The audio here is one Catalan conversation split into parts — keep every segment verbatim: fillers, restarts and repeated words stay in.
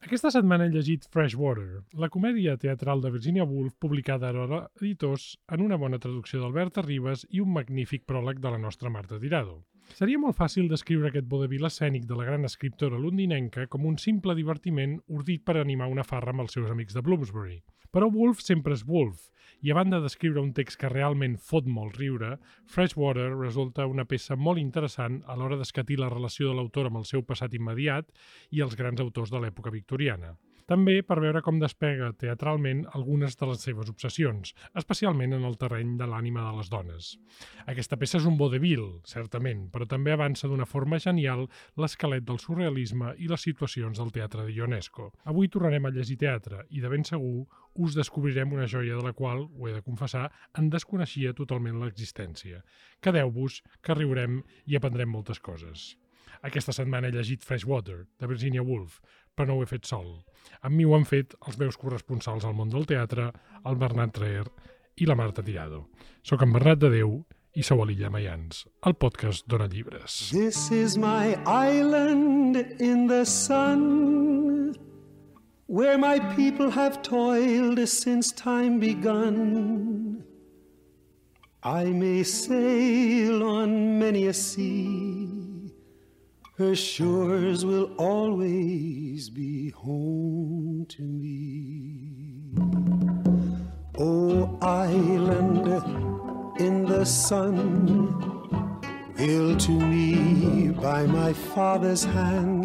Aquesta setmana he llegit Freshwater, la comèdia teatral de Virginia Woolf publicada a Aurora Editors en una bona traducció d'Alberta Ribas i un magnífic pròleg de la nostra Marta Tirado. Seria molt fàcil descriure aquest vodevil escènic de la gran escriptora londinenca com un simple divertiment ordit per animar una farra amb els seus amics de Bloomsbury. Però Woolf sempre és Woolf, i a banda d'escriure un text que realment fot molt riure, Freshwater resulta una peça molt interessant a l'hora d'escatir la relació de l'autor amb el seu passat immediat i els grans autors de l'època victoriana. També per veure com despega teatralment algunes de les seves obsessions, especialment en el terreny de l'ànima de les dones. Aquesta peça és un vodevil, certament, però també avança d'una forma genial l'esquelet del surrealisme i les situacions del teatre de Ionesco. Avui tornarem a llegir teatre i, de ben segur, us descobrirem una joia de la qual, ho he de confessar, en desconeixia totalment l'existència. Quedeu-vos, que riurem i aprendrem moltes coses. Aquesta setmana he llegit Freshwater, de Virginia Woolf, però no ho he fet sol. Amb mi ho han fet els meus corresponsals al món del teatre, el Bernat Traer i la Marta Tirado. Soc en Bernat de Déu i sou a l'Illa Maians, el podcast Dona Llibres. This is my island in the sun, where my people have toiled since time begun. I may sail on many a sea, her shores will always be home to me. Oh, island in the sun, built to me by my father's hand,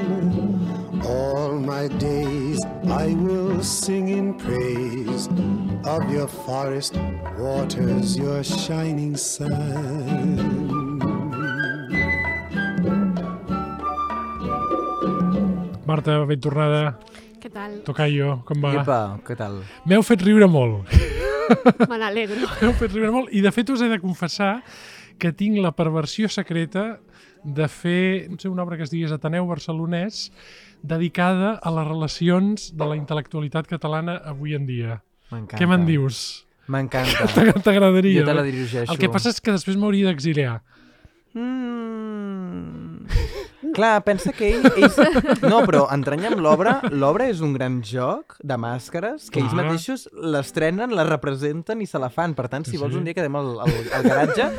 all my days I will sing in praise of your forest waters, your shining sun. Marta, ben tornada. Què tal? Tocayo, com va? Iepa, què tal? M'heu fet riure molt. Me n'alegro. M'heu fet riure molt i de fet us he de confessar que tinc la perversió secreta de fer, no sé, una obra que es digués Ateneu Barcelonès dedicada a les relacions de la intel·lectualitat catalana avui en dia. M'encanta. Què me'n dius? M'encanta. T'agradaria? Jo te la dirigeixo. El que passa és que després m'hauria d'exiliar. Mm. Clar, pensa que ell, ells... No, però entranyar amb l'obra, l'obra és un gran joc de màscares que ells Clar. mateixos l'estrenen, la representen i se la fan. Per tant, si Sí. vols un dia quedem al, al, al garatge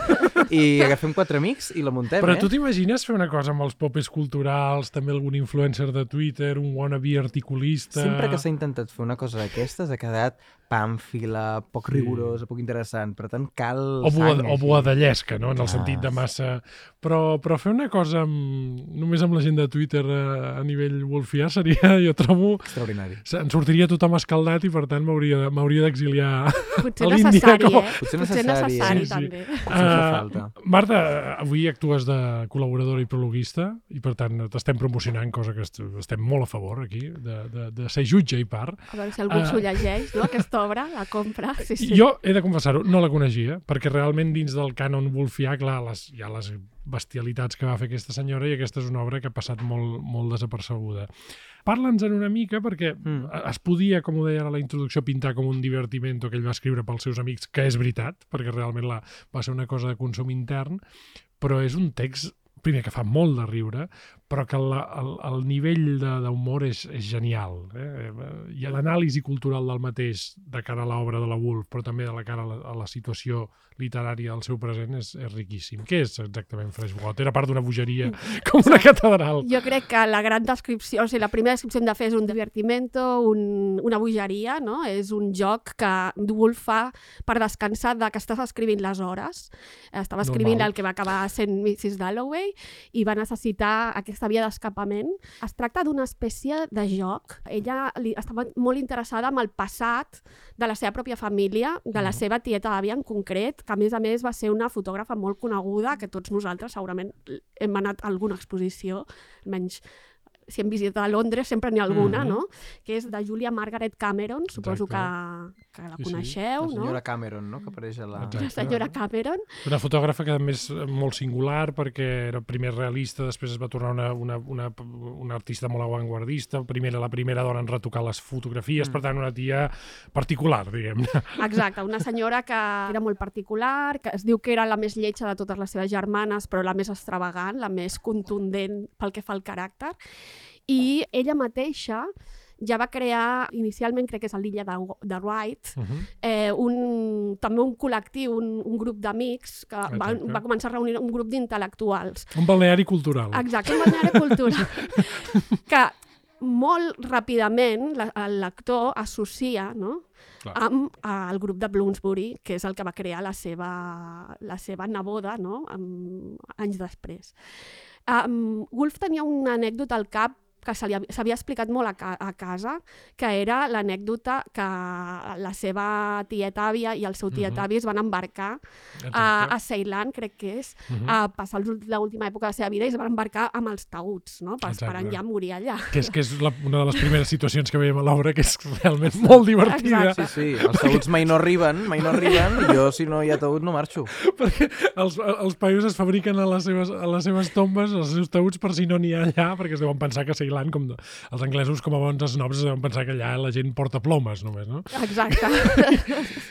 i agafem quatre amics i la muntem, Però eh? tu t'imagines fer una cosa amb els popes culturals, també algun influencer de Twitter, un wannabe articulista... Sempre que s'ha intentat fer una cosa d'aquestes ha quedat pàmfila, poc Sí. rigorosa, poc interessant. Per tant, cal O, bua, sang, o així. boadellesca, no? En el Clar. sentit de massa... Però, però fer una cosa amb, només amb la gent de Twitter a, a nivell wolfià seria, jo trobo... Extraordinari. En sortiria tothom escaldat i per tant m'hauria m'hauria d'exiliar Potser a l'Índia. necessari, com- eh? Potser Potser necessari, necessari, sí, sí. també. Potser fa Ah, falta. Marta, avui actues de col·laboradora i prologuista i per tant t'estem promocionant, cosa que est- estem molt a favor aquí, de, de, de ser jutge i part. A veure si algú Ah. s'ho llegeix, no? Aquesta obra, la compra. Sí, sí. Jo he de confessar-ho, no la coneixia, perquè realment dins del cànon wolfià, clar, les, hi ha les bestialitats que va fer aquesta senyora i aquesta és una obra que ha passat molt, molt desapercebuda. Parla'ns-en una mica perquè Mm. es podia, com ho deia ara a la introducció, pintar com un divertimento que ell va escriure pels seus amics, que és veritat, perquè realment la, va ser una cosa de consum intern, però és un text, primer, que fa molt de riure, però que el, el, el nivell de- d'humor és, és genial. Eh? I l'anàlisi cultural del mateix de cara a l'obra de la Woolf, però també de la cara a la, a la situació literària del seu present és, és riquíssim. Què és exactament Freshwater? A part d'una bogeria com una catedral. Jo crec que la gran descripció, o sigui, la primera descripció hem de fer és un divertimento, un, una bogeria, no? És un joc que Woolf fa per descansar de que estàs escrivint les hores. Estava escrivint Normal. el que va acabar sent missus Dalloway i va necessitar aquesta via d'escapament. Es tracta d'una espècie de joc. Ella li, estava molt interessada en el passat de la seva pròpia família, de la seva tieta àvia en concret, que a més a més va ser una fotògrafa molt coneguda, que tots nosaltres segurament hem anat a alguna exposició, almenys si hem visitat a Londres sempre n'hi ha alguna, Mhm. no? Que és de Julia Margaret Cameron, suposo que, que la Sí, sí. coneixeu, La no? senyora Cameron, no?, que apareix a la... Exacte. La senyora Cameron. Una fotògrafa que a més molt singular perquè era primer realista, després es va tornar una, una, una, una artista molt avantguardista, primera, la primera dona en retocar les fotografies, Mm. per tant una tia particular, diguem-ne. Exacte, una senyora que era molt particular, que es diu que era la més lletja de totes les seves germanes, però la més extravagant, la més contundent pel que fa al caràcter. I ella mateixa ja va crear, inicialment crec que és a l'illa de, de Wright, Uh -huh. eh, un, també un col·lectiu, un, un grup d'amics, que va, va començar a reunir un grup d'intel·lectuals. Un balneari cultural. Exacte, un balneari cultural. que molt ràpidament l'actor associa, no?, Clar. amb el grup de Bloomsbury, que és el que va crear la seva, la seva neboda, no?, amb, anys després. Um, Woolf tenia una anècdota al cap que s'havia explicat molt a, ca a casa, que era l'anècdota que la seva tieta-àvia i el seu tiet-avi es van embarcar a, a Ceilan, crec que és, uh -huh. a passar l'última època de la seva vida i es van embarcar amb els taüts, no?, per esperant ja morir allà. Que és, que és la, una de les primeres situacions que veiem a l'obra, que és realment molt divertida. Exacte. Sí, sí, els taüts mai no arriben, mai no arriben, i jo, si no hi ha taüt, no marxo. Perquè els, els paios es fabriquen a les seves, a les seves tombes, els seus taüts, per si no n'hi ha allà, perquè es deuen pensar que Ceilan, com de, els anglesos, com a bons esnobs, es deuen pensar que allà la gent porta plomes, només, no? Exacte.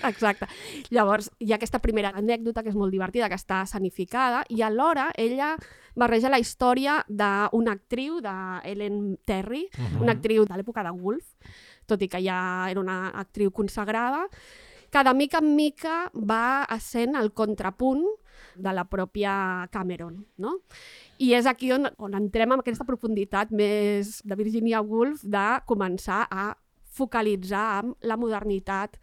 Exacte. Llavors, hi ha aquesta primera anècdota, que és molt divertida, que està escenificada, i alhora ella barreja la història d'una actriu, d'Ellen Terry, uh -huh. una actriu de l'època de Woolf, tot i que ja era una actriu consagrada, que de mica en mica va essent el contrapunt de la pròpia Cameron, no? I és aquí on, on entrem en aquesta profunditat més de Virginia Woolf de començar a focalitzar amb la modernitat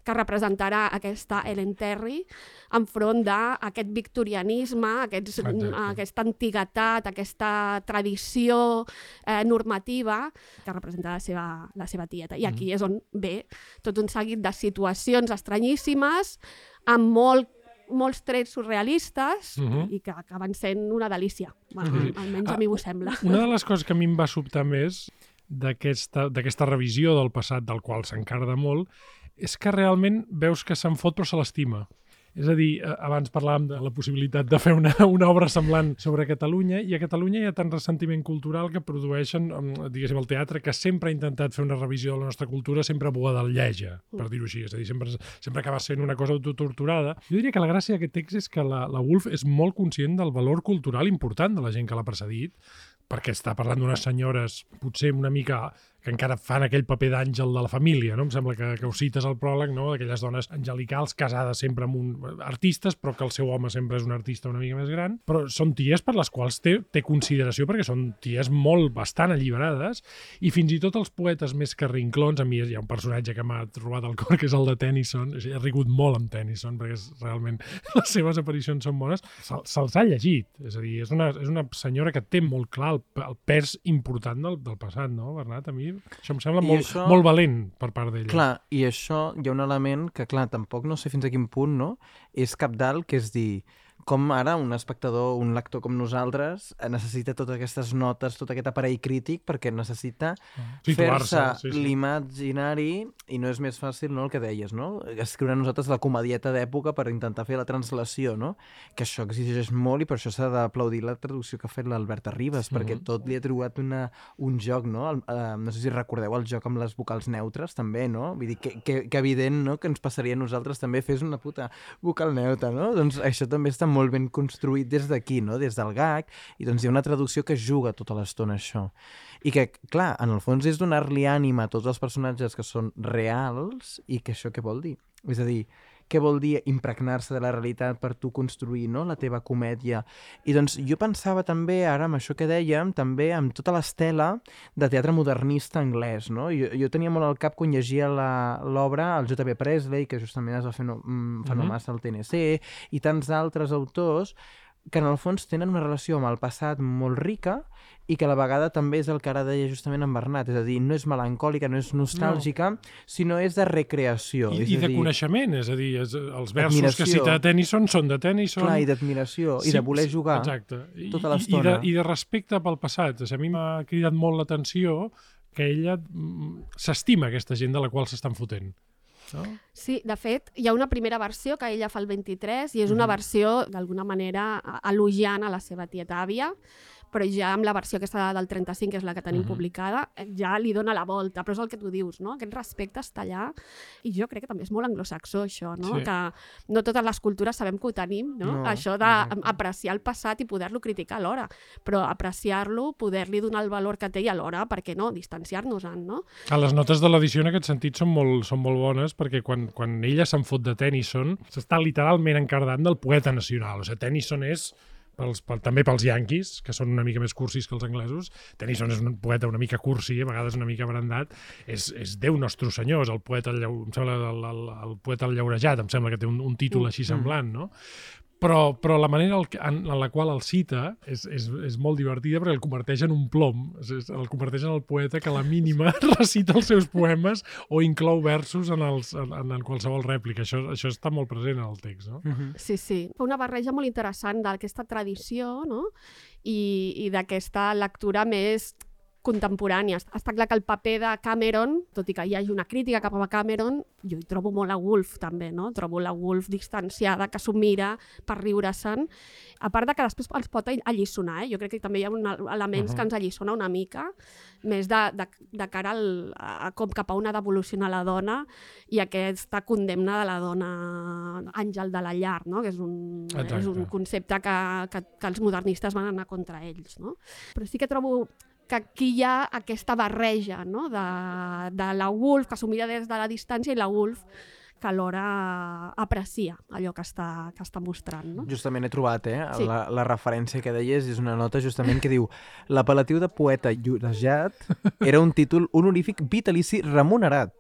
que representarà aquesta Ellen Terry enfront d'aquest victorianisme, aquests, aquesta antiguitat, aquesta tradició eh, normativa que representa la seva, la seva tieta. I aquí mm. és on ve tot un seguit de situacions estranyíssimes amb molt molts trets surrealistes uh -huh. i que acaben sent una delícia. Bueno, uh -huh. Almenys a mi m'ho sembla. Una de les coses que a mi em va sobtar més d'aquesta revisió del passat, del qual s'encarda molt, és que realment veus que se'n fot però se l'estima. És a dir, abans parlàvem de la possibilitat de fer una, una obra semblant sobre Catalunya, i a Catalunya hi ha tant ressentiment cultural que produeixen, diguéssim, el teatre, que sempre ha intentat fer una revisió de la nostra cultura, sempre boadalleja, per dir-ho així. És a dir, sempre, sempre acaba sent una cosa autotorturada. Jo diria que la gràcia d'aquest text és que la, la Woolf és molt conscient del valor cultural important de la gent que l'ha precedit, perquè està parlant d'unes senyores potser una mica que encara fan aquell paper d'àngel de la família, no? Em sembla que, que ho cites al pròleg, no? D'aquelles dones angelicals casades sempre amb un... artistes, però que el seu home sempre és un artista una mica més gran, però són ties per les quals té, té consideració, perquè són ties molt, bastant alliberades, i fins i tot els poetes més carrinclons, a mi hi ha un personatge que m'ha trobat al cor, que és el de Tennyson, he rigut molt amb Tennyson, perquè és, realment les seves aparicions són bones, se'ls se ha llegit, és a dir, és una, és una senyora que té molt clar el, el pes important del, del passat, no, Bernat? A mi això em sembla molt, això, molt valent per part d'ella. Clar, i això hi ha un element que, clar, tampoc no sé fins a quin punt, no? És cabdal, que és dir, com ara un espectador, un lector com nosaltres, necessita totes aquestes notes, tot aquest aparell crític, perquè necessita sí, fer-se sí, sí. l'imaginari, i no és més fàcil, no?, el que deies, no? Escriure nosaltres la comedieta d'època per intentar fer la translació, no? Que això exigeix molt, i per això s'ha d'aplaudir la traducció que ha fet l'Alberta Ribas, mm-hmm. perquè tot li ha trobat una, un joc, no? El, uh, no sé si recordeu el joc amb les vocals neutres, també, no? Vull dir, que, que, que evident, no?, que ens passaria a nosaltres també fes una puta vocal neutra, no? Doncs això també està molt ben construït des d'aquí, no? Des del gag, i doncs hi ha una traducció que juga tota l'estona això. I que, clar, en el fons és donar-li ànima a tots els personatges que són reals, i que això què vol dir? És a dir, què vol dir impregnar-se de la realitat per tu construir, no?, la teva comèdia. I doncs jo pensava també, ara amb això que dèiem, també amb tota l'estela de teatre modernista anglès, no? Jo, jo tenia molt al cap quan llegia l'obra el J B Presley, que justament es va fer no, fa no massa al T N C, i tants altres autors que en el fons tenen una relació amb el passat molt rica, i que a la vegada també és el que ara deia justament en Bernat, és a dir, no és melancòlica, no és nostàlgica, no. sinó és de recreació. I, és i de dir, coneixement, és a dir, és, els versos que cita Tennyson són de Tennyson. Clar, i d'admiració, sí, i de voler jugar exacte. tota l'estona. I, i, I de respecte pel passat. O sigui, a mi m'ha cridat molt l'atenció que ella s'estima aquesta gent de la qual s'estan fotent. No? Sí, de fet, hi ha una primera versió que ella fa el vint-i-tres i és una versió, d'alguna manera, elogiant a la seva tieta àvia, però ja amb la versió aquesta del trenta-cinc, que és la que tenim uh -huh. publicada, ja li dona la volta, però és el que tu dius, no? Aquest respecte està allà, i jo crec que també és molt anglosaxó, això, no? Sí. Que no totes les cultures sabem que ho tenim, no? no això d'apreciar el passat i poder-lo criticar alhora, però apreciar-lo, poder-li donar el valor que té i alhora, per què no, distanciar-nos-en, no? A les notes de l'edició en aquest sentit són molt, són molt bones, perquè quan, quan ella se'n fot de Tennyson, s'està literalment encardant del poeta nacional. O sigui, Tennyson és, pels, pel, també pels yanquis, que són una mica més cursis que els anglesos, Tennyson és un poeta una mica cursi, a vegades una mica brandat, és, és Déu nostre senyor, és el poeta, el, em sembla, el, el, el poeta el llaurejat, em sembla que té un, un títol així semblant, no? Però, però la manera en, en la qual el cita és, és, és molt divertida, perquè el converteix en un plom, és, el converteix en el poeta que a la mínima recita els seus poemes o inclou versos en, els, en, en qualsevol rèplica. Això, això està molt present en el text, no? Uh-huh. Sí, sí. Fa una barreja molt interessant d'aquesta tradició, no? I, i d'aquesta lectura més contemporània. Està clar que el paper de Cameron, tot i que hi hagi una crítica cap a Cameron, jo hi trobo molt a Woolf també, no? Trobo la Woolf distanciada, que s'ho mira per riure-se'n, a part de que després ens pot alliçonar, eh? Jo crec que també hi ha un, elements uh-huh. que ens alliçona una mica, més de, de, de cara al, a com cap a on ha d'evolucionar la dona i aquesta condemna de la dona àngel de la llar, no? Que és un, és un concepte que, que, que els modernistes van anar contra ells, no? Però sí que trobo que aquí hi ha aquesta barreja, no? de, de la Woolf, que s'ho mira des de la distància, i la Woolf que alhora aprecia allò que està, que està mostrant. No? Justament he trobat, eh? Sí. La, la referència que deies és una nota justament que diu l'apel·latiu de poeta llorejat era un títol honorífic vitalici remunerat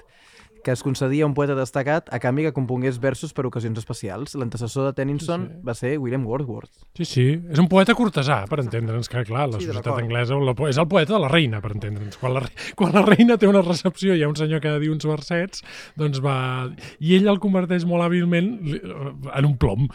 que es concedia a un poeta destacat a canvi que compongués versos per ocasions especials. L'antecessor de Tennyson sí, sí. va ser William Wordsworth. Sí, sí. És un poeta cortesà, per entendre'ns, que clar, la sí, societat anglesa és el poeta de la reina, per entendre'ns. Quan la, quan la reina té una recepció i hi ha un senyor que ha de dir uns versets, doncs va... I ell el converteix molt hàbilment en un plom.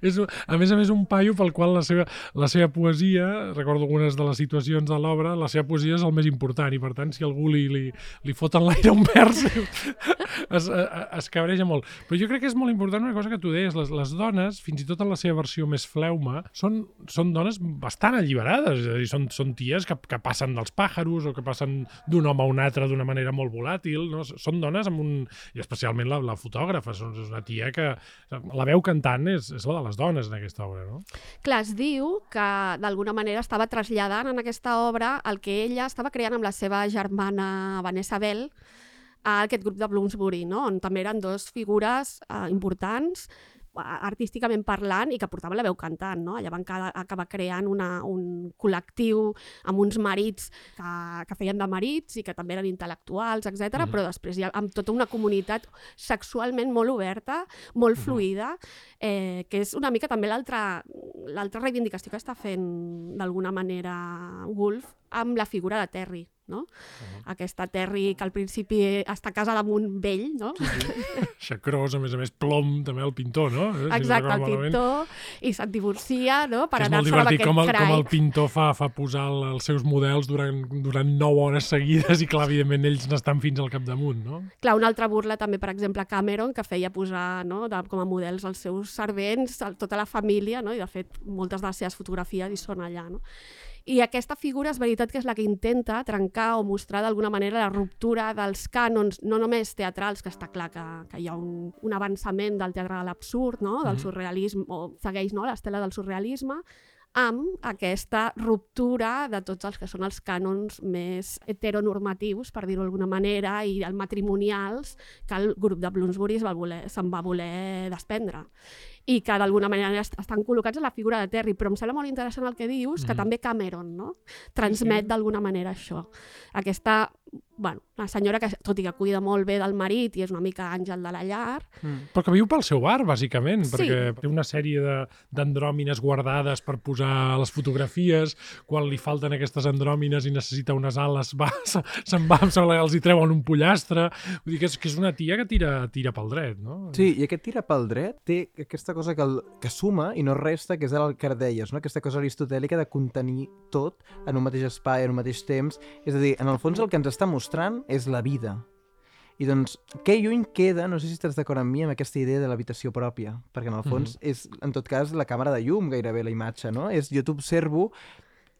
És, a més a més, un paio pel qual la seva, la seva poesia, recordo algunes de les situacions de l'obra, la seva poesia és el més important i, per tant, si algú li, li, li fot en l'aire un vers es, es cabreja molt. Però jo crec que és molt important una cosa que tu deies, les, les dones, fins i tot en la seva versió més fleuma, són, són dones bastant alliberades, és a dir, són, són ties que, que passen dels pàjaros o que passen d'un home a un altre d'una manera molt volàtil, no? Són dones amb un... i especialment la, la fotògrafa, és una tia que... La veu cantant és, és la de les dones en aquesta obra, no? Clar, es diu que d'alguna manera estava traslladant en aquesta obra el que ella estava creant amb la seva germana Vanessa Bell, a aquest grup de Bloomsbury, no? On també eren dos figures eh, importants, artísticament parlant, i que portaven la veu cantant, no? Allà van acabar creant una, un col·lectiu amb uns marits que, que feien de marits i que també eren intel·lectuals, etcètera, mm. però després hi ha amb tota una comunitat sexualment molt oberta, molt mm. fluida, eh, que és una mica també l'altra l'altra reivindicació que està fent d'alguna manera Woolf amb la figura de Terry, no? Uh-huh. Aquesta Terry que al principi està casada amb un vell, no? Sí, sí. Xacrós, a més a més, plom, també el pintor, no? Exacte, el pintor, i se't divorcia, no? Per és molt divertit com el, com el pintor fa, fa posar el, els seus models durant, durant nou hores seguides i, clar, evidentment, ells n'estan fins al capdamunt, no? Clar, una altra burla també, per exemple, Cameron, que feia posar, no, de, com a models els seus servents, tota la família, no? I, de fet, moltes de les seves fotografies hi són allà, no? I aquesta figura és veritat que és la que intenta trencar o mostrar d'alguna manera la ruptura dels cànons, no només teatrals, que està clar que, que hi ha un, un avançament del teatre de l'absurd, no? Del surrealisme, o segueix, no, l'estela del surrealisme, amb aquesta ruptura de tots els que són els cànons més heteronormatius, per dir-ho d'alguna manera, i el matrimonials que el grup de Bloomsbury se'n va, voler, se'n va voler desprendre. I que d'alguna manera estan col·locats en la figura de Terry, però em sembla molt interessant el que dius, que mm. també Cameron, no? Transmet sí. d'alguna manera això. Aquesta, bueno, una senyora que, tot i que cuida molt bé del marit i és una mica àngel de la llar... Mm. Però que viu pel seu bar, bàsicament, sí. perquè té una sèrie de, d'andròmines guardades per posar les fotografies, quan li falten aquestes andròmines i necessita unes ales, va, se'n va, em sembla que els hi treuen un pollastre... Vull dir que és, que és una tia que tira, tira pel dret, no? Sí, i aquest tira pel dret té aquesta cosa que, el, que suma i no resta, que és el que deies, no? Aquesta cosa aristotèlica de contenir tot en un mateix espai, en un mateix temps. És a dir, en el fons el que ens està mostrant és la vida. I doncs, que lluny queda, no sé si estàs d'acord amb mi, amb aquesta idea de l'habitació pròpia, perquè en el fons mm-hmm. és, en tot cas, la càmera de llum, gairebé la imatge, no? És jo t'observo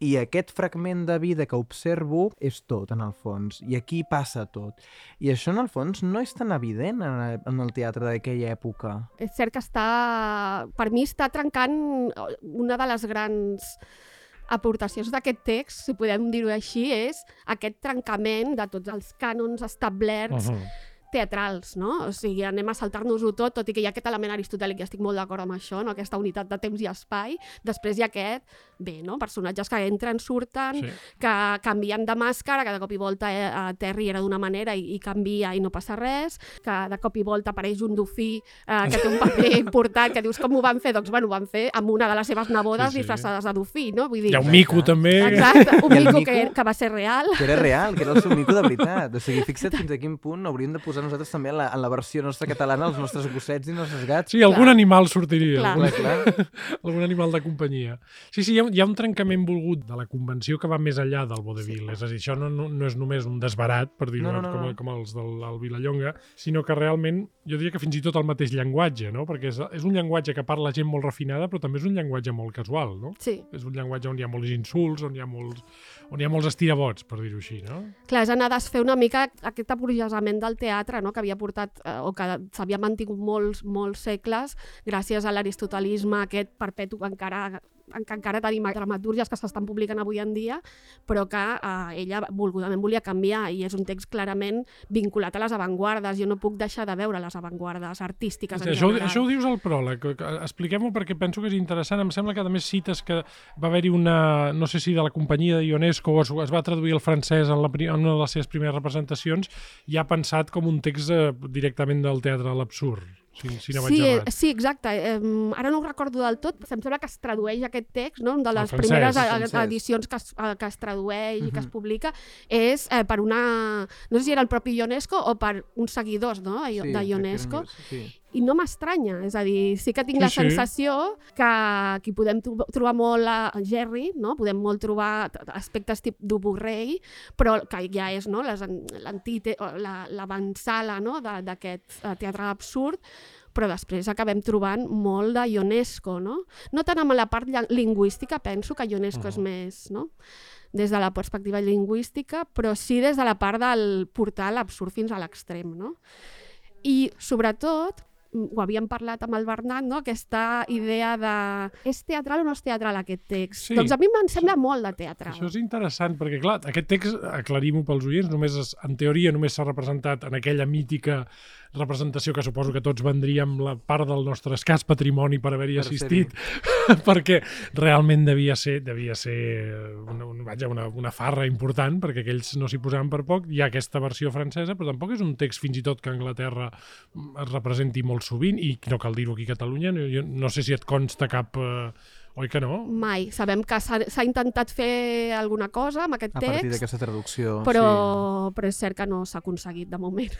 i aquest fragment de vida que observo és tot, en el fons, i aquí passa tot. I això, en el fons, no és tan evident en el, en el teatre d'aquella època. És cert que està, per mi està trencant una de les grans aportacions d'aquest text, si podem dir-ho així, és aquest trencament de tots els cànons establerts uh-huh. teatrals, no? O sigui, anem a saltar-nos-ho tot, tot i que hi ha aquest element aristotèlic, i estic molt d'acord amb això, no? Aquesta unitat de temps i espai. Després hi ha aquest, bé, no? Personatges que entren, surten, sí. que canvien de màscara, que de cop i volta eh, Terry era d'una manera i, i canvia i no passa res, que de cop i volta apareix un dofí eh, que té un paper important, que dius com ho van fer? Doncs bueno, ho van fer amb una de les seves nebodes sí, sí. disfressades de dofí, no? Vull dir, hi ha un mico també. Exacte, un mico, mico que, que va ser real. Que era real, que era el seu mico de veritat. O sigui, fixa't fins a quin punt hauríem de posar nosaltres també en la, en la versió nostra catalana els nostres gossets i els nostres gats. Sí, algun clar. animal sortiria. Clar. Algun, clar. algun animal de companyia. Sí, sí, hi ha, hi ha un trencament volgut de la convenció que va més enllà del vodevil. Sí. És a dir, això no, no, no és només un desbarat, per dir-ho, no, no, no, com, com els del Vilallonga, sinó que realment, jo diria que fins i tot el mateix llenguatge, no? Perquè és, és un llenguatge que parla gent molt refinada, però també és un llenguatge molt casual, no? Sí. És un llenguatge on hi ha molts insults, on hi ha molts, on hi ha molts estirabots, per dir-ho així, no? Clar, és anar a desfer una mica aquest aburgesament del teatre, no? Que havia portat, eh, o que s'havia mantingut molts, molts segles gràcies a l'aristotelisme aquest perpetu que encara que encara tenim dramatúrgies que s'estan publicant avui en dia, però que eh, ella volgudament volia canviar, i és un text clarament vinculat a les avantguardes. Jo no puc deixar de veure les avantguardes artístiques en això, general. Això ho dius al pròleg, expliquem-ho perquè penso que és interessant. Em sembla que a més cites que va haver-hi una, no sé si de la companyia de Ionesco, es, es va traduir al francès en, la, en una de les seves primeres representacions, i ha pensat com un text eh, directament del teatre a l'absurd. Si, si no sí, eh, sí, exacte. Eh, ara no ho recordo del tot, em sembla que es tradueix aquest text, no? De les francès, primeres francès. edicions que es, que es tradueix uh-huh. i que es publica, és eh, per una... No sé si era el propi Ionesco o per uns seguidors, no? de, sí, de Ionesco. Sí. I no m'estranya, és a dir, sí que tinc sí, la sensació sí. que aquí podem trobar molt a Jerry, no? Podem molt trobar aspectes tipus d'Uburrei, però que ja és no? l'avantsala no? d'aquest teatre absurd, però després acabem trobant molt de Ionesco, no? No tant amb la part lingüística, penso que Ionesco uh-huh. és més, no? Des de la perspectiva lingüística, però sí des de la part del portar l'absurd fins a l'extrem, no? I, sobretot, ho havíem parlat amb el Bernat, no? Aquesta idea de... És teatral o no és teatral aquest text? Sí. Doncs a mi em sembla molt de teatral. Això és interessant, perquè clar, aquest text, aclarim-ho pels oients, només és, en teoria només s'ha representat en aquella mítica representació que suposo que tots vendríem la part del nostre escàs patrimoni per haver-hi per assistit, perquè realment devia ser, devia ser una, una, vaja, una, una farra important, perquè aquells no s'hi posaven per poc. Hi ha aquesta versió francesa, però tampoc és un text fins i tot que a Anglaterra es representi molt sovint, i no cal dir-ho aquí a Catalunya. Jo no sé si et consta cap... Eh, oi que no? Mai. Sabem que s'ha intentat fer alguna cosa amb aquest text. A partir d'aquesta traducció, però, sí. Però és cert que no s'ha aconseguit de moment.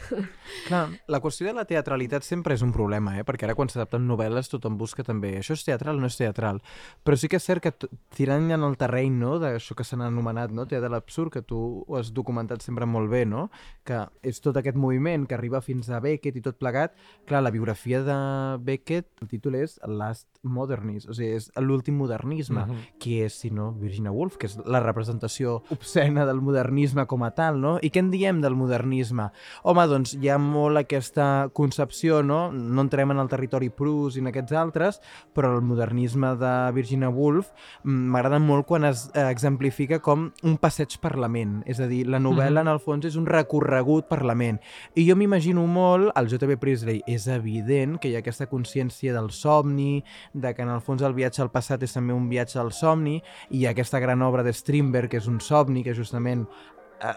Clar, la qüestió de la teatralitat sempre és un problema, eh? Perquè ara quan s'adapten novel·les tothom busca també això és teatral o no és teatral. Però sí que és cert que tirant en el terreny, no?, d'això que s'han anomenat, no?, teatre de l'absurd, que tu ho has documentat sempre molt bé, no?, que és tot aquest moviment que arriba fins a Beckett i tot plegat. Clar, la biografia de Beckett, el títol és Last Modernist, o sigui, és l'últim modernisme, uh-huh. qui és, si no, Virginia Woolf, que és la representació obscena del modernisme com a tal, no? I què en diem del modernisme? Home, doncs hi ha molt aquesta concepció, no? No entrem en el territori Proust i en aquests altres, però el modernisme de Virginia Woolf m'agrada molt quan es exemplifica com un passeig per la ment, és a dir, la novel·la uh-huh. en el fons és un recorregut per la ment. I jo m'imagino molt, el J B Priestley és evident que hi ha aquesta consciència del somni, de que en el fons el viatge al passat és també un viatge al somni, i aquesta gran obra de Strindberg, que és un somni, que justament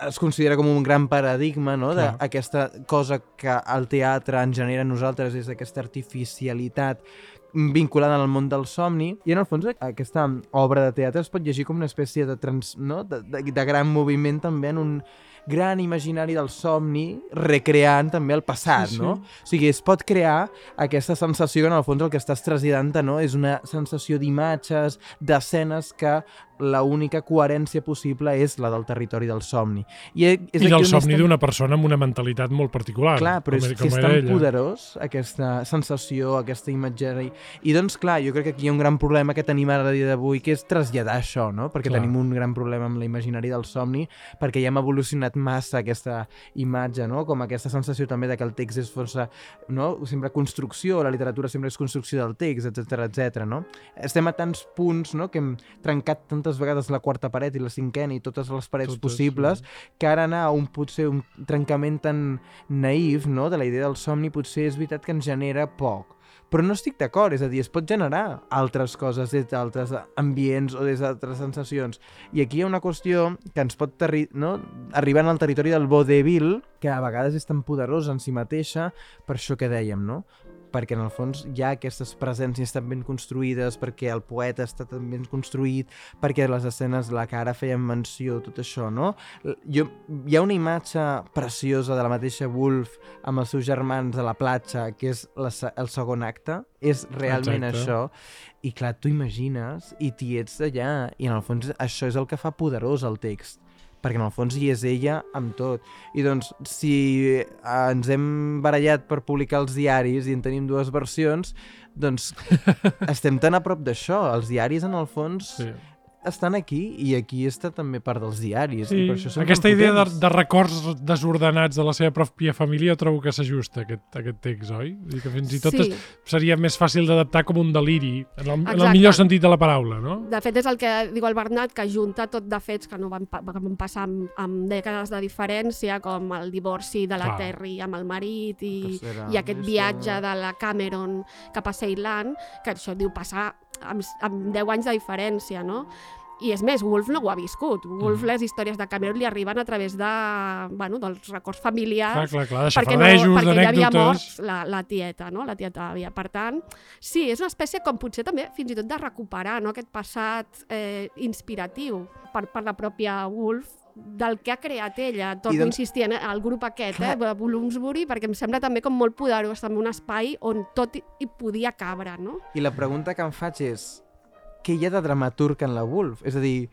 es considera com un gran paradigma, no?, d'aquesta cosa que el teatre en genera a nosaltres, és aquesta artificialitat vinculada al món del somni, i en el fons aquesta obra de teatre es pot llegir com una espècie de, trans, no? de, de, de gran moviment també en un, gran imaginari del somni recreant també el passat, Sí, sí. no? O sigui, es pot crear aquesta sensació que en el fons el que estàs traslladant, no? És una sensació d'imatges, d'escenes que la única coherència possible és la del territori del somni. I, és I del aquí on somni és tan- d'una persona amb una mentalitat molt particular. Clar, però com, és, era- que és com tan era ella. poderós aquesta sensació, aquesta imatgeria. I doncs, clar, jo crec que aquí hi ha un gran problema que tenim ara a dia d'avui, que és traslladar això, no? Perquè Clar. tenim un gran problema amb la imaginari del somni, perquè ja hem evolucionat massa aquesta imatge, no? Com aquesta sensació també de que el text és força, no? Sempre construcció, la literatura sempre és construcció del text, etcètera, etcètera, no? Estem a tants punts, no?, que hem trencat tantes vegades la quarta paret i la cinquena i totes les parets Totes, possibles, sí. que ara anar a un, potser un trencament tan naïf, no?, de la idea del somni, potser és veritat que ens genera poc. Però no estic d'acord, és a dir, es pot generar altres coses des d'altres ambients o des d'altres sensacions. I aquí hi ha una qüestió que ens pot terri no? arribar al territori del vodevil, que a vegades és tan poderosa en si mateixa, per això que dèiem, no? Perquè en el fons hi ha aquestes presències tan ben construïdes, perquè el poeta està tan ben construït, perquè les escenes de la que ara feien menció, tot això, no? Jo, hi ha una imatge preciosa de la mateixa Woolf amb els seus germans a la platja, que és la, el segon acte, és realment Exacte. això, i clar, tu imagines i t'hi ets allà, i en el fons això és el que fa poderós el text, perquè en el fons hi és ella amb tot. I doncs, si ens hem barallat per publicar els diaris i en tenim dues versions, doncs estem tan a prop d'això. Els diaris, en el fons, Sí. estan aquí, i aquí està també part dels diaris. Sí, I per això són aquesta tan idea de, potents. de records desordenats de la seva pròpia família trobo que s'ajusta a aquest, a aquest text, oi? Vull dir que fins i tot Sí. es, seria més fàcil d'adaptar com un deliri, en el, en el Exacte. millor sentit de la paraula, no? De fet, és el que diu el Bernat, que junta tot de fets que no van, pa que van passar amb, amb dècades de diferència, com el divorci de la Clar. Terry amb el marit i, Tercera, i aquest això- viatge de la Cameron cap a Ceylan, que això diu passar amb, amb deu anys de diferència, no? I és més, Woolf no ho ha viscut. Woolf, Mm. les històries de Cameron li arriben a través de, bueno, dels records Clar, familiars, clar, clar, de perquè, no, xafardejos, perquè ja havia mort d'anècdotes... la, la tieta, no? La tieta havia. Per tant, sí, és una espècie com potser també fins i tot de recuperar, no? Aquest passat eh, inspiratiu per, per la pròpia Woolf, del que ha creat ella. Torno doncs- a insistir en el grup aquest, Clar. eh, de Bloomsbury, perquè em sembla també com molt poderós, també un espai on tot hi, hi podia cabre, no? I la pregunta que em faig és, què hi ha de dramaturg en la Woolf? És a dir,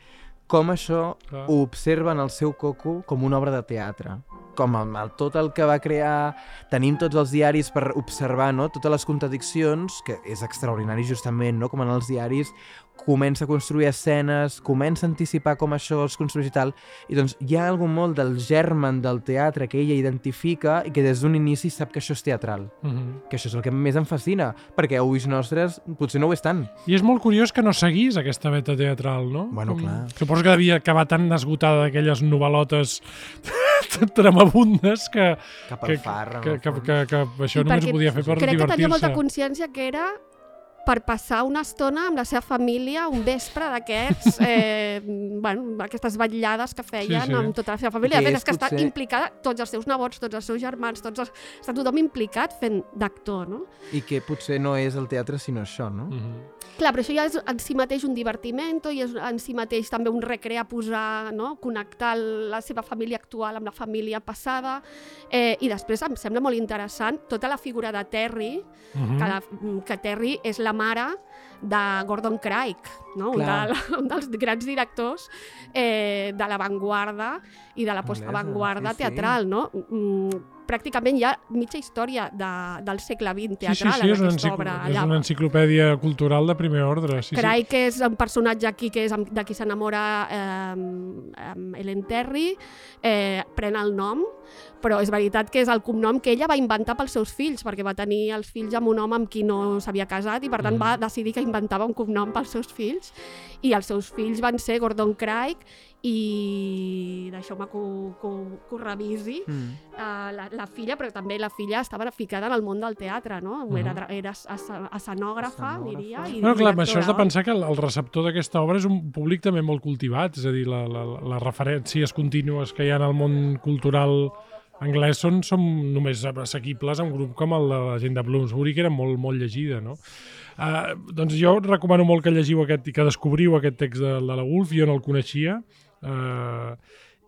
com això Clar. ho observa en el seu coco com una obra de teatre. Com amb el, tot el que va crear, tenim tots els diaris per observar, no?, totes les contradiccions, que és extraordinari justament, no?, com en els diaris comença a construir escenes, comença a anticipar com això es construeix i tal, i doncs hi ha algun molt del germen del teatre que ella identifica i que des d'un inici sap que això és teatral. Uh -huh. Que això és el que més em fascina, perquè a ulls nostres potser no ho és tant. I és molt curiós que no seguís aquesta beta teatral, no? Bueno, clar. Suposo que devia acabar tan esgotada d'aquelles novel·lotes tremabundes que, Cap que, al far, que, que, que, que, que això I només perquè ho podia fer per crec que tenia molta divertir-se. consciència que era per passar una estona amb la seva família, un vespre d'aquests, eh, bueno, aquestes vetllades que feien Sí, sí. amb tota la seva família. I que De fet, és és que està potser- implicada, tots els seus nebots, tots els seus germans, tots els... està tothom implicat fent d'actor, no? I que potser no és el teatre sinó això, no? Uh -huh. Clar, però això ja és en si mateix un divertiment i és en si mateix també un recrear, posar, no? Connectar la seva família actual amb la família passada. Eh, I després em sembla molt interessant tota la figura de Terry, Uh -huh. que, la, que Terry és la mare de Gordon Craig, no? un, Clar. de, un dels grans directors eh, de l'avantguarda i de la postavantguarda sí, sí. teatral. No? Mm, pràcticament hi ha mitja història de, del segle vint Sí, sí, teatral sí, en és una, aquesta encicl... obra. és Allà. una enciclopèdia cultural de primer ordre. Sí, Craig és un personatge aquí que és amb- de qui s'enamora eh, amb Ellen Terry, eh, pren el nom, però és veritat que és el cognom que ella va inventar pels seus fills, perquè va tenir els fills amb un home amb qui no s'havia casat i per tant Mm. va decidir que inventava un cognom pels seus fills, i els seus fills van ser Gordon Craig i deixeu-me que, ho- que, ho- que ho revisi, Mm. uh, la, la filla, però també la filla estava ficada en el món del teatre, no? Mhm. Era, dra- era escen- escenògrafa, Escenògrafa. diria, i Bueno, clar, amb això has de directora. pensar que el, el receptor d'aquesta obra és un públic també molt cultivat, és a dir, la, la, les referències contínues que hi ha en el món cultural anglès són, són només assequibles a un grup com el de la gent de Bloomsbury, que era molt, molt llegida, no? Uh, doncs jo recomano molt que llegiu aquest i que descobriu aquest text de, de la Woolf, jo no el coneixia, uh,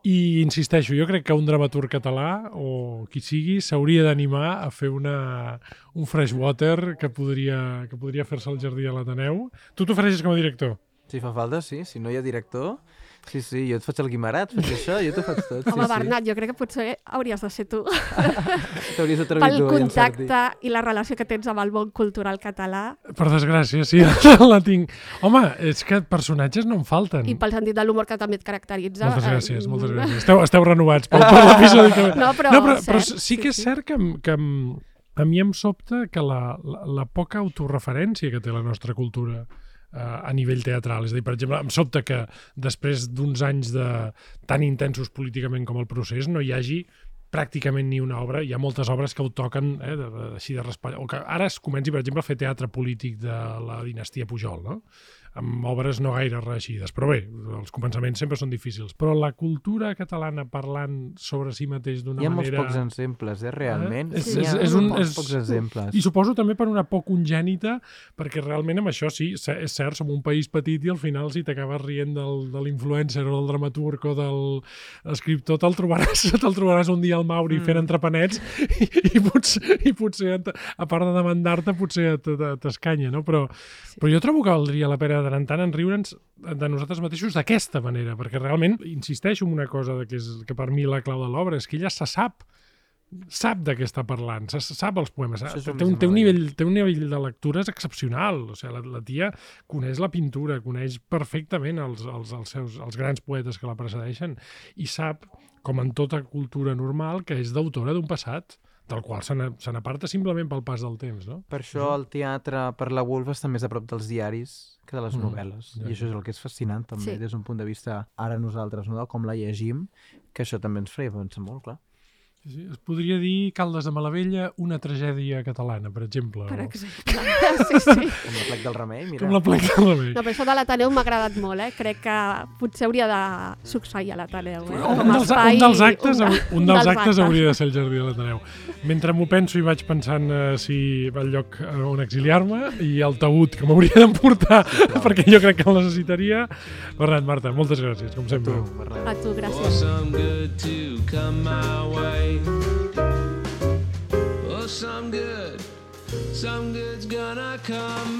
I insisteixo, jo crec que un dramaturg català o qui sigui s'hauria d'animar a fer una, un freshwater que podria, que podria fer-se al Jardí de l'Ateneu. Tu t'ofereixes com a director? Si fa falta, sí. Si no hi ha director... Sí, sí, jo et faig el guimarat, faig això, jo t'ho faig tot. Sí, Home, sí. Bernat, jo crec que potser hauries de ser tu. T'hauries atrevit Pel tu a llançar-t'hi. contacte i la relació que tens amb el món cultural català. Per desgràcia, sí, la tinc. Home, és que personatges no em falten. I pel sentit de l'humor que també et caracteritza. Moltes eh, gràcies, moltes gràcies. Esteu, esteu renovats per, per l'episodi que... No, però, no, però, però cert, sí que és cert que, em- que em- a mi em sobta que la, la, la poca autorreferència que té la nostra cultura eh, a nivell teatral. És a dir, per exemple, em sobta que després d'uns anys de, tan intensos políticament com el procés no hi hagi pràcticament ni una obra. Hi ha moltes obres que ho toquen eh, de, de, així de raspall. O que ara es comenci, per exemple, a fer teatre polític de la dinastia Pujol, no? Amb obres no gaire reeixides. Però bé, els començaments sempre són difícils. Però la cultura catalana parlant sobre si mateix d'una Hi ha molts manera... pocs exemples, eh, realment. Eh? És- Hi ha és- és un- pocs, és- pocs exemples. I suposo també per una por congènita, perquè realment amb això sí, se- és cert, som un país petit i al final si t'acabes rient del, de l'influencer o del dramaturg o del escriptor, te'l trobaràs, te'l trobaràs un dia al Mauri mm. fent entrepenets i, i, potser, i potser, a part de demandar-te, potser t- t- t'escanya, no? Però, sí. però jo trobo que valdria la pena de tant en tant enriure'ns de nosaltres mateixos d'aquesta manera, perquè realment insisteixo en una cosa de que, és, que per mi la clau de l'obra és que ella se sap sap de què està parlant, se sap els poemes, Això és té el un, més té, un meravellant. nivell, té un nivell de lectura excepcional, o sigui, la, la tia coneix la pintura, coneix perfectament els, els, els, seus, els grans poetes que la precedeixen i sap, com en tota cultura normal, que és d'autora d'un passat del qual se n'a- se n'aparta simplement pel pas del temps, no? Per això el teatre per la Woolf està més a prop dels diaris que de les Mm, novel·les. ja, I això és el que és fascinant també, Sí. des d'un punt de vista ara nosaltres, no? De com la llegim, que això també ens feia pensar molt, clar. Sí, sí. Es podria dir Caldes de Malavella, una tragèdia catalana, per exemple. Per o- exemple. Sí, sí. Com la plec del remei, mira. Com la plec de la No, però això de l'Ateneu m'ha agradat molt, eh? Crec que potser hauria de succeir a l'Ateneu, eh? Un Com a dels, espai- un dels actes, un, hau- un dels actes hauria de ser el Jardí de l'Ateneu. Mentre m'ho penso i vaig pensant eh, si va al lloc eh, on exiliar-me i el taüt que m'hauria d'emportar perquè jo crec que el necessitaria. Bernat, Marta, moltes gràcies, com Tu, sempre. Bernat. A tu, For gràcies. some good to come my way. Oh, some good, some good's gonna come